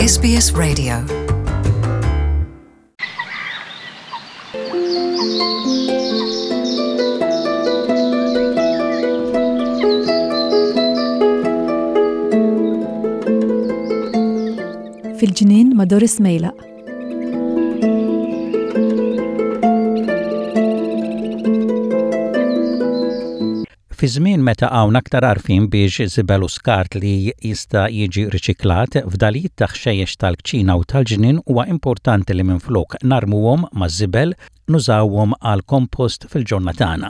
SBS Radio. Fil-ġnien ma' Doris Mejlaq. Fi żmien meta hawn aktar għarfien biex żibel u skart li jista' jiġi riċiklat, fdalijiet ta' ħxejjex tal-kċina u tal-ġnien huwa importanti li minflok narmuhom maż-żibel, nużawhom għal kompost fil-ġonna tagħna.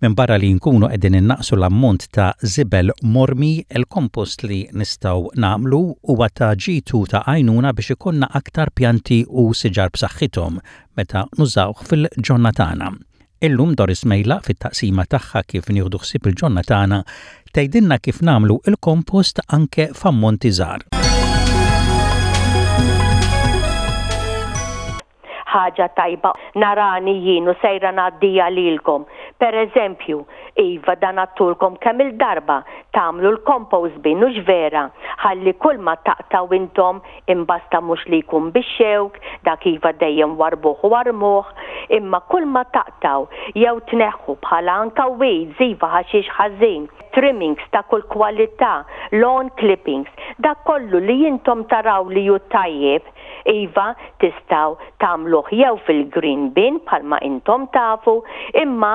Minbarra li nkunu qegħdin innaqqsu l-ammont ta' żibel mormi, il-kompost li nistgħu nagħmlu huwa ta' ġid u ta' għajnuna biex ikollna aktar pjanti u siġar b'saħħithom meta nużawh fil-ġonna tagħna. Illum Doris Mejlaq fit-taqsima tagħha kif nieħdu ħsieb il-ġonna tagħna tgħidilna kif nagħmlu l-kompost anke f'ammonti żgħar. Ħaġa tajba narani jien u sejra ngħaddiha lilkom. Per eżempju, iva dan għadtulkom kemm-il darba, tagħmlu l-compost bin hux vera, ħalli kulma taqtgħu intom imbasta mhux li jkun bix-xewk, dak iva dejjem warrbuh u armuh, imma kulma taqtgħu jew tneħħu bħala anka weeds iva ħaxix ħażin, trimmings ta' kull kwalità, lawn clippings, dak kollu li intom taraw li hu tajjeb, Iva, tistgħu tagħmluh jew fil-green bin bħalma intom tafu, imma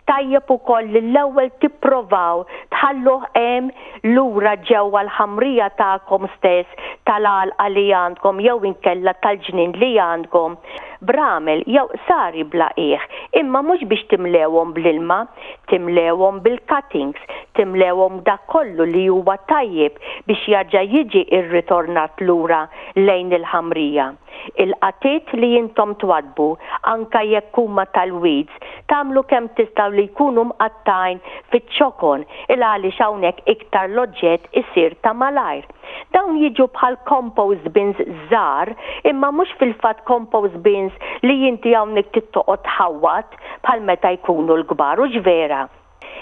tajjeb ukoll li l-ewwel tipprovaw tħalluh hemm lura ġewwa l-ħamrija tagħkom stess tal-għalqa li għandkom jew inkella tal-ġnien li għandkom, b'ramel jew qsari bla qiegħ, imma mhux biex timlewhom bl-ilma, timlewhom bil-cuttings, timlewhom b'dak kollu li huwa tajjeb biex jerġa' jiġi rritornat lura lejn il-ħamrija. Il-qatiet li intom twaddbu, anke jekk huma tal-weeds, tagħmlu kemm tistgħu li jkunu mqattgħin fiċ-ċokon il għaliex hawnhekk iktar l-oġġett isir ta' malajr. Dawn jiġu bħal compost bins żgħar imma mhux fil-fatt compost bins li inti hawnhekk trid toqgħod tħawwad bħal meta jkunu l-kbar, hux vera?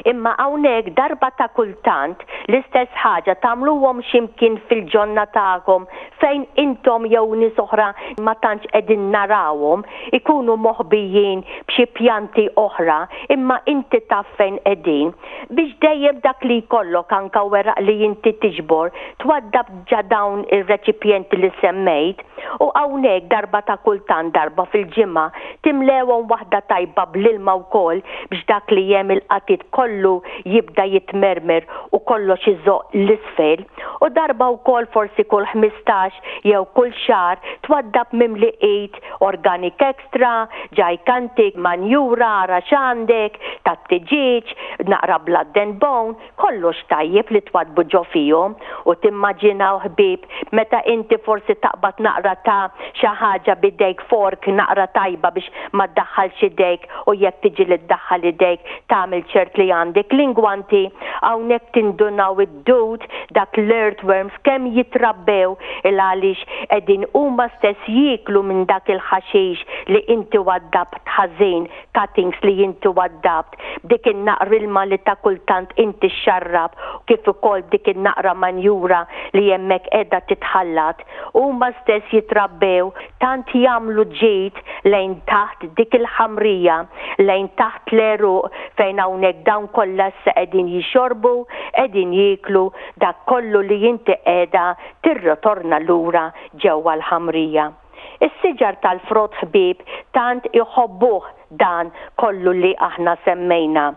Imma hawnhekk darba ta' kultant l-istess ħaġa tagħmluhom xi mkien fil-ġonna tagħkom fejn intom jew nies oħra ma tantx qegħdin narawhom, ikunu moħbijin b'xi pjanti oħra imma inti taf fejn qegħdin. Biex dejjem dak li jkollok anke weraq li inti tiġbor twaddab ġa dawn ir-reċipjenti li semmejt u hawnhekk darba ta' kultant darba fil-ġimgħa timlewhom waħda tajba bl-ilma wkoll biex dak li hemm il-qatid kollu jibda jitmermer u kollox iżoqq 'l isfel u darba wkoll forsi kull 15 jew kull xahar twaddab mimli id organic extra, gigantic, manjura ara x'għandek, tat-tiġieġ, naqra blood and bone, Kollox tajjeb li twaddbu ġo fihom u timmaġinaw ħbieb meta inti forsi taqbad naqra ta' xi ħaġa b'idejk fork naqra tajba biex ma ddaħħalx idejk u jekk tiġi li ddaħħal idejk tagħmel ċert li għandek l-ingwanti hawnhekk tindunaw id-dud dak l-earthworms kemm jitrabbew il għaliex qegħdin huma stess jieklu minn dak il-ħaxix li inti waddabt ħażin cuttings li inti waddabt, b'dik in-naqra ilma li ta' kultant inti xxarrab u kif ukoll b'dik in-naqra manjura li hemmhekk qiegħda titħallat, huma stess jitrabbew tant jagħmlu ġid lejn taħt dik il-ħamrija, lejn taħt l-għeruq fejn hawnhekk dawn kollha issa qegħdin jixorbu, qegħdin jieklu dak kollu li inti qiegħda tirritorna lura ġewwa l-ħamrija. Is-siġar tal-frott ħbieb tant iħobbuh dan kollu li aħna semmejna.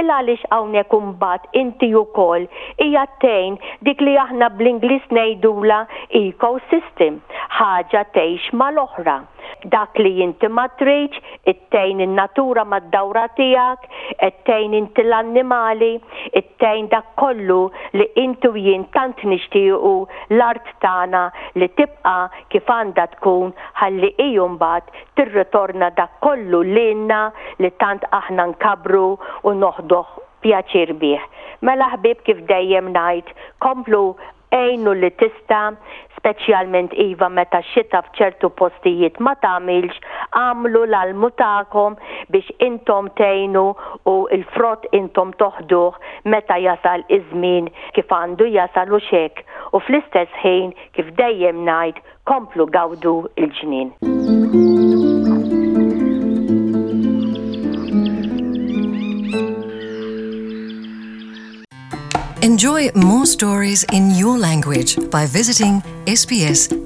Il għaliex hawnhekk imbagħad inti ukoll qiegħed tgħin dik li aħna bl-Ingliż ngħidulha ecosystem, ħaġa tgħix mal-oħra. Dak li inti ma tridx, ittgħin in-natura mad-dawra tiegħek, qed tgħin inti l-annimali, ittgħin dak kollu li inti u jien tant nixtiequ l-art tagħna li tibqa' kif għandha tkun ħalli hi mbagħad tirritorna dak kollu lilna li tant aħna nkabbru u noħduh pjaċir bih. Mela ħbieb kif dejjem ngħid, komplu għinu li tista', speċjalment iva meta x-xita f'ċertu postijiet ma tagħmilx, agħmlu l-almu tagħkom. biex intom tgħinu u l-frott intom toħduh meta jasal iż-żmien kif għandu jasal hux hekk u fl-istess ħin kif dejjem ngħid komplu gawdu l-ġnien. Enjoy more stories in your language by visiting sbs.com.au.